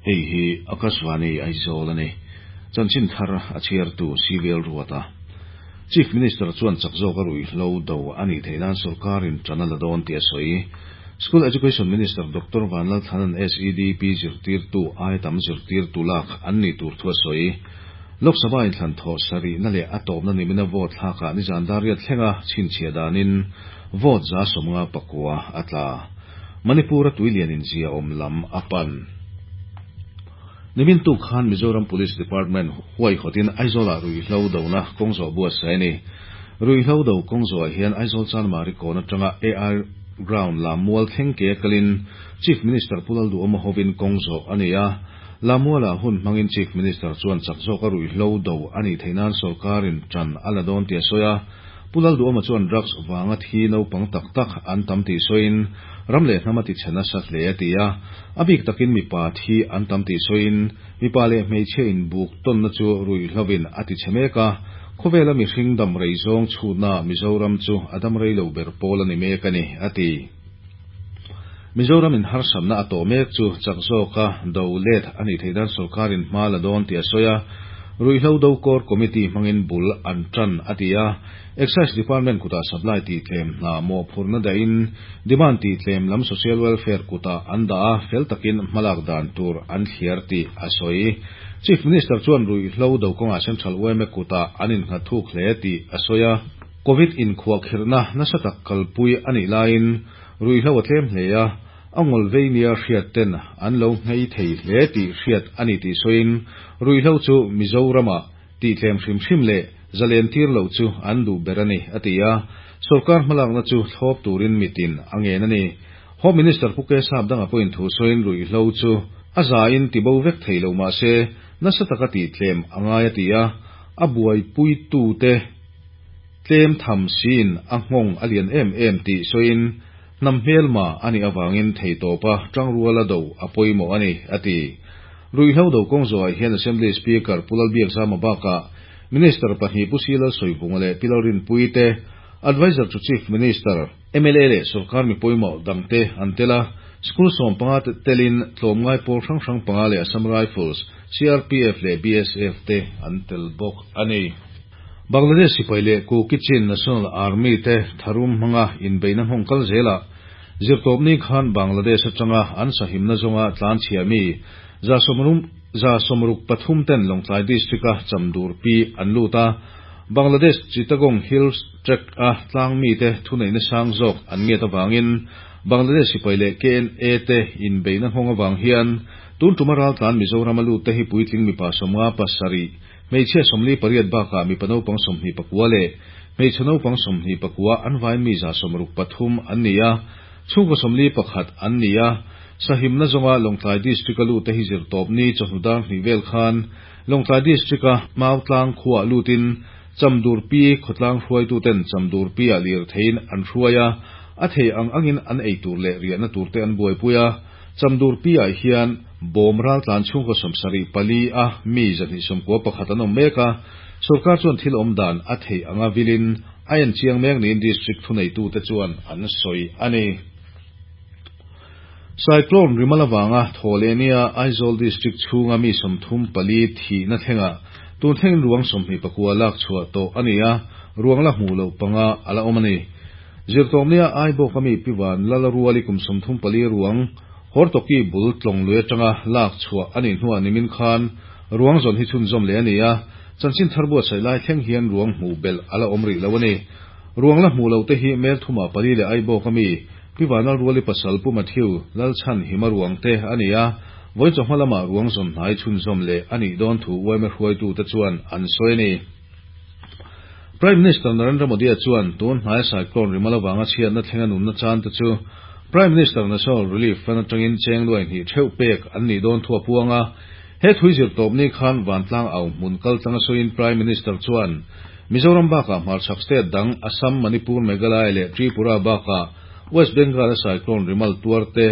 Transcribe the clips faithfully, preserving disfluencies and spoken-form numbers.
Hei hi Akashvani Aizawl ani. Chanchin thar a chhiartu Civil Ruata. Chief Minister chuan chak zawk a ruihhlo do ani theinan sorkarin ṭan a la dawn tih a sawi. School Education Minister Doctor Vanlalthanan S E D P zirtirtu ai tam zirtirtu lak an ni tur thu a sawi. Lok Sabha inthlan thawh sarihna leh a tawpna nimina vote thlakah nizan dar riat thlenga chhinchhiah danin vote za sawmnga pakua a tla. Manipur a tuilian in zia awm lam a pan. Nimin tuk khan Mizoram Police Department huaihawtin Aizawlah ruihhlo dona kawngzawh buatsaih a ni. Ruihhlo do kawngzawhah hian Aizawl Chanmari kawn atanga A I Ground Lammual thleng ke kalin Chief Minister Pu Lalduhoma hovin kawngzawh a ni a. Lammualah hun hmangin Chief Minister chuan chak zawka ruihhlo do a nih theih nan sorkarin ṭan a la dawn tih a sawi a. Pu Lalduhoma chuan drugs vanga thi naupang tak tak an tam tih sawiin ram leh hnam a tichhe nasa hle a ti a. A bik takin mipa thi an tam tih sawiin mipa leh hmeichhia inbuk tawnna chu ruihhlovin a tichhe mek a. Khawvela mihring dam rei zawng chhutna Mizoram chu a dam rei lo ber pawl a ni mek a ni a ti. Mizoram in harsatna a tawh mek chu chak zawka do let a nih theih nan sorkarin hma la dawn tih a sawi a. Ruihhlo do core committee hmangin bul an ṭan a ti a. Excise Department kutah supply tih tlem hna mawhphurhna dahin demand tih tlem lam Social Welfare kutah an dah a, fel takin hmalak dan tur an thliar tih a sawi. Chief Minister chuan ruihhlo do kawngah Central Y M A kutah an innghat thuk hle tih a sawi a. Covid inkhuahkhirhna nasa tak kalpui a nih laiin ruihhlo a tlem hle a, a ngawl vei nia hriat ten an lo nghei thei hle tih hriat a ni tih sawiin ruihhlo chu Mizorama tih tlem hrim hrim leh zalen tir lo chu an duh ber a ni a ti a. Sorkar hmalakna chu thlawp turin mitin a ngen a ni. Home Minister Pu K Sapdanga pawhin thu sawiin ruihhlo chu a zain tibo vek thei lo mahse nasa taka tih tlem a ngai a ti a. A buaipuitu te tlem tham siin a nghawng a lian em em tih sawiin hnam hmelma a nih avangin theitawpa ṭangruala do a pawimawh a ni a ti. Ruihhlo do kawngzawhah hian Assembly Speaker Pu Lalbiakzama bakah Minister pahnih Pu C Lalsawivunga leh Pi Lalrinpuii te, Advisor to Chief Minister, M L A leh sorkar mi pawimawh dangte an tel a. School sawm panga telin tlawmngai pawl hrang hrang panga leh Assam Rifles, C R P F leh B S F te an tel bawk a ni. Bangladesh sipai leh Kuki-Chin National Army te tharum hmanga inbeihna nghawng kal zelah zirtawpni khan Bangladesh atanga an sahimna zawnga tlan chhia mi za sawmrum za sawmruk pathum ten Lawngtlai District a Chamdur pi an lut a. Bangladesh Chittagong Hills Tract a tlang mi te thuneihna sang zawk an ngiat awangin Bangladesh sipai leh K N A te inbeihna nghawng awang hian tun tuma ral tlan Mizoram a lut te hi puitling mipa sawmnga pasarih, hmeichhia sawmli pariat bakah mipa naupang sawmhnih pakua leh hmeichhe naupang sawmhnih pakua, an vai mi za sawmruk pathum an ni a, chhungkaw sawmli pakhat an ni a. Sahimna zawnga Lawngtlai District a lut te hi zirtawpni chawhnu dar hnih vel khan Lawngtlai District a Mautlang khuah lutin Chamdur pi khawtlang hruaitu ten Chamdur pi ah lir theiin an hruai a, a thei ang angin an ei tur leh riahna tur te an buaipui a. Chamdur pi ah hian bawm ral tlan chhungkaw sawmsarih pali a mi zahnih sawmkua pakhat an awm mek a. Sorkar chuan thil awm dan a thei anga vilin a en chiang mek niin district thuneitu te chuan an sawi a ni. Cyclone Remal awanga Thawhlehnia Aizawl District chhunga mi sawmthum pali thihna thlenga tun thlengin ruang sawmhnih pakua lak chhuah tawh a ni a, ruang la hmuh loh panga ala awm a ni. Zirtawpnia Aibawk ami Pivan Lalaruali kum sawmthum pali ruang Hortoki bul tlawng lui atanga lak chhuah a nih hnuah nimin khan ruang zawn hi chhunzawm leh a ni a. Chanchin thar buatsaih lai thleng hian ruang hmuh belh ala awm rih lo a ni. Ruang la hmuh loh te hi Melthuma pali leh Aibawk ami Pivan Lalruali pasal Pu Matthew Lalchhan Hima ruang te a ni a. Vawiin chawhma lama ruang zawn hnai chhunzawm leh a nih dawn thu Y M A hruaitu te chuan an sawi a ni. Prime Minister Narendra Modi chuan tun hnai cyclone Remal awanga chhiatna thlenga nunna chan te chu Prime Minister National Relief Fund atangin cheng nuai hnih theuh pek an nih dawn thu a puang a. He thui zirtawpni khan vantlang au hmun kal tlanga sawiin Prime Minister chuan Mizoram bakah hmarchhak state dang Assam, Manipur, Meghalaya leh Tripura bakah West Bengal a cyclone Remal tuar te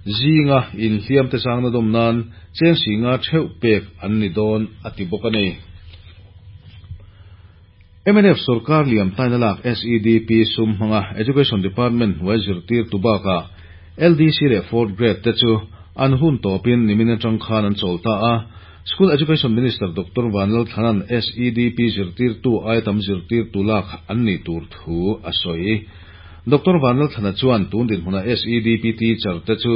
zinga inhliam te changna dawm nan cheng singa theuh pek an ni dawn a ti bawk a ni. M N F sorkar liam taina lak S E D P sum hmanga Education Department hnuai zirtirtu bakah L D C leh fourth grade te chu an hun tawpin nimin atang khan an chawl ta a. School Education Minister Doctor Vanlalthlana'n S E D P zirtirtu aia tam zirtirtu lak an nih tur thu a sawi. Doctor Vanlalthlana chuan tun dinhmuna S E D P teacher te chu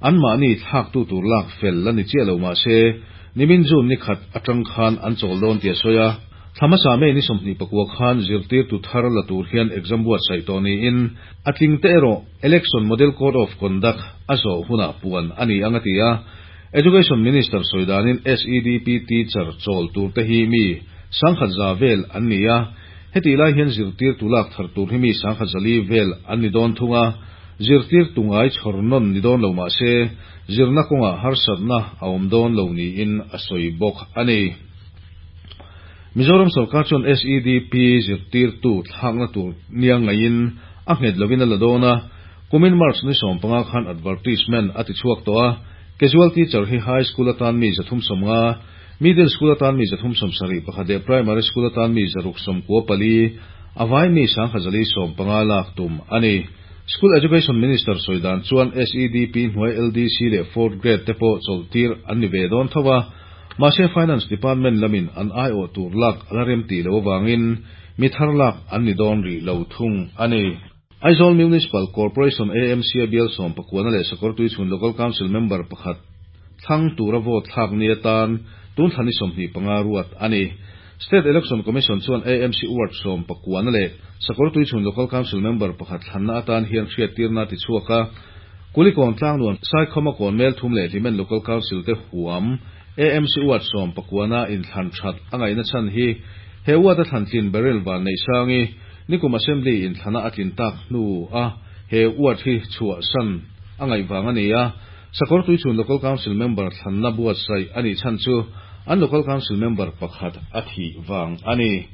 an mahni thlaktu tur lak fel la ni chiah lo mah se nimin June ni khat atang khan an chawl dawn tih a sawi a. Thla hmasa May ni sawmhnih pakua khan zirtirtu thar la tur hian exam buatsaih tawh niin a tling te erawh Election Model Code of Conduct a zawh hunah puan a ni ang a ti a. Education Minister sawi danin S E D P teacher chawl tur te hi mi sangkhat za vel an ni a. Heti lai hian zirtirtu lak thar tur hi mi sangkhat zali vel an ni dawn thung a. Zirtirtu ngai chhawr nawn ni dawn lo mah se zirna kawngah harsatna a awm dawn lo niin a sawi bawk a ni. Mizoram sarkar chuan S E D P zirtirtu thlakna tur nia ngaiin a nghet lovin a la dawn a. Kumin March ni sawm panga khan advertisement a ti chhuak tawh a. Casual teacher hi high school atan mi zathum sawmnga, middle school atan mi zathum sawm sarih pakhat leh primary school atan mi zaruk sawmkua pali, a vai mi sangkhat zali sawm panga lak tum a ni. School Education Minister sawi dan chuan S E D P hnuai L D C leh fourth grade te pawh chawlhtir an ni ve dawn tho a. Mahse Finance Department lamin an aiawh tur lak a la rem tih lo awangin mi thar lak an ni dawn rih lo thung a ni. Aizawl Municipal Corporation A M C a bial sawm pakuana leh Sakawrtuichhun Local Council member pakhat thlang tura vote thlak ni atan tun thla ni sawmhnih panga ruat a ni. State Election Commission chuan A M C ward sawm pakuana leh Sakawrtuichhun Local Council member pakhat thlanna atan hian hriattirna ti chhuak a. Kulikawn Tlangnuam Saikhawma kawn mel thum leh Hlimen Local Council te huam A M C ward sawm pakuana inthlan that a ngaihna chhan hi he ward a thlan tlin Baryl Vanneihsangi nikum Assembly inthlana a tlin tak hnu a he ward hi chhuah san a ngaih vang a ni a. Sakawrtuichhun Local Council member thlanna buatsaih a nih chhan chu an Local Council member pakhat a thih vang a ni.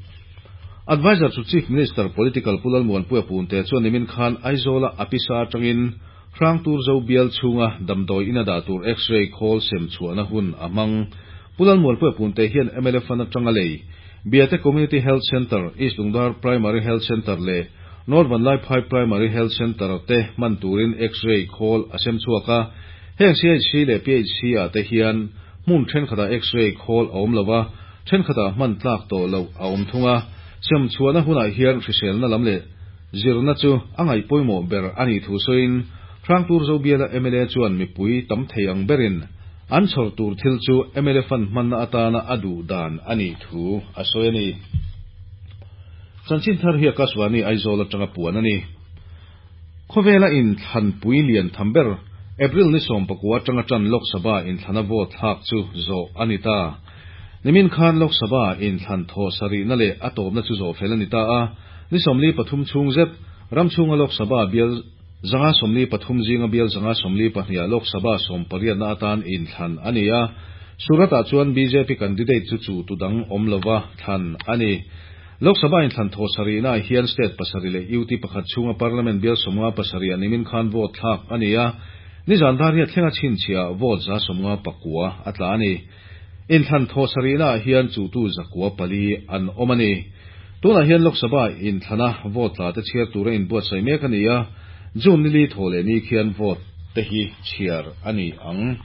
Advisor to Chief Minister Political Pu Lalmuanpuia Punte chuan nimin khan Aizawla a pisa atangin Hrangturzo bial chhunga damdawi in a dah tur X-ray khawl sem chhuahna hun a hmang. Pu Lalmuanpuia Punte hian M L A fund atanga lei Biate Community Health Center, East Lungdar Primary Health Center leh North Vanlaiphai Primary Health Center te hman turin X-ray khawl a sem chhuak a. Heng C H C leh P H C ah te hian hmun thenkhatah X-ray khawl a awm lova, thenkhatah hman tlak tawh loh a awm thung a. Sem chhuahna hunah hian hriselna lam leh zirna chu a ngaih pawimawh ber a nih thu sawiin Hrangturzo biala M L A chuan mipui tam thei ang berin an chhawr tur thil chu M L A fund hmanna atana a duh dan a nih thu a sawi a ni. Chanchin thar hi Akashvani Aizawl atanga puan a ni. Khawvela inthlanpui lian tham ber April ni sawm pakua atanga tan Lok Sabha inthlana vote thlak chu zawh a ni ta. Nimin khan Lok Sabha inthlan thaw sarihna leh a tawpna chu zawh fel a ni ta a. Ni sawmli pathum chhung zet ram chhunga Lok Sabha bial zanga sawmli pathum zinga bial zanga sawmli pahnih Lok Sabha sawm pariatna atan inthlan a ni a. Surat-ah chuan B J P candidate chu chu tu dang awm lova thlan a ni. Lok Sabha inthlan thaw sarihna hian state pasarih leh U T pakhat chhunga Parliament bial sawmnga pasarih nimin khan vote thlak a ni a. Nizan dar hian thlenga chhinchhiah vote za sawmnga pakua a tla a ni. Inthlan thaw sarihna hian chu tu zakua pali an awm a ni. Tunah hian Lok Sabha inthlana vote tla te chhiar tura inbuatsaih mek a ni a. June nili thaw leh ni khian vote te hi chhiar a ni ang.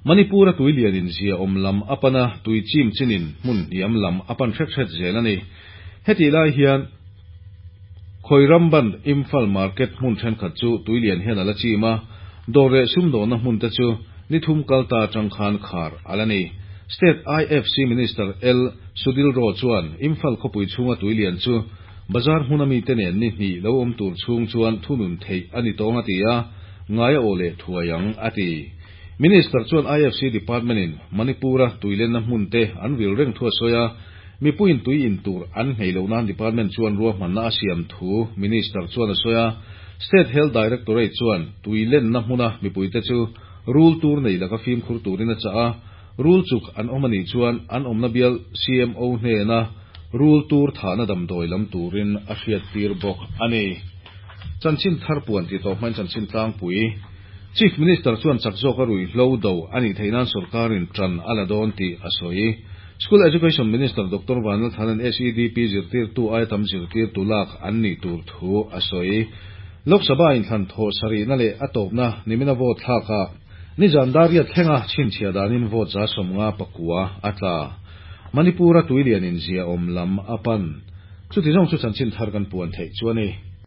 Manipur a tuilianin zia awm lam apana tui chim chinin hmun hniam lam apan hret hret zel a ni. Heti lai hian Khoiramban Imphal Market hmun thenkhat chu tuilian hian a la chim a. Dawr leh sumdawhna hmun te chu ni thum kalta atang khan khar ala ni. State I F C Minister L Sudhir Row chuan Imphal khawpui chhunga tuilian chu bazar hmuna mi te nen ni hnih lo awm tur chhung chuan thunun theih a ni tawng a ti a. Ngai a aw leh thuai ang a ti. Minister chuan I F C Department in Manipura tuilenna hmun te an vil reng thu a sawi a. Mipuiin tui in tur an nghei lo nan department chuan ruahmanna a siam thu Minister chuan a sawi a. State Health Directorate chuan tuilenna hmuna mipuite chu rul tur nei laka fimkhur turin a chah a. Rul chuk an awm anih chuan an awmna bial C M O hnena rul tur thahna damdawi lam turin a hriat tir bawk a ni. Chanchin thar puan ti tawp hmain chanchin tlangpui. Chief Minister chuan chak zawk a ruihhlo do a nih theih nan sorkarin tan a la dawn tih a sawi. School Education Minister Doctor Vanlalthlana'n S E D P zirtirtu aia tam zirtirtu lak an nih tur thu a sawi. Lok Sabha inthlan thawh sarihna leh a tawpna nimina vote thlakah nizan dar riat thlenga chhinchhiah danin vote za sawmnga pakua a tla. Manipur-a tuilianin ziaawm lam a pan. Chuti zawng chu chanchin thar kan puan theih chu a ni.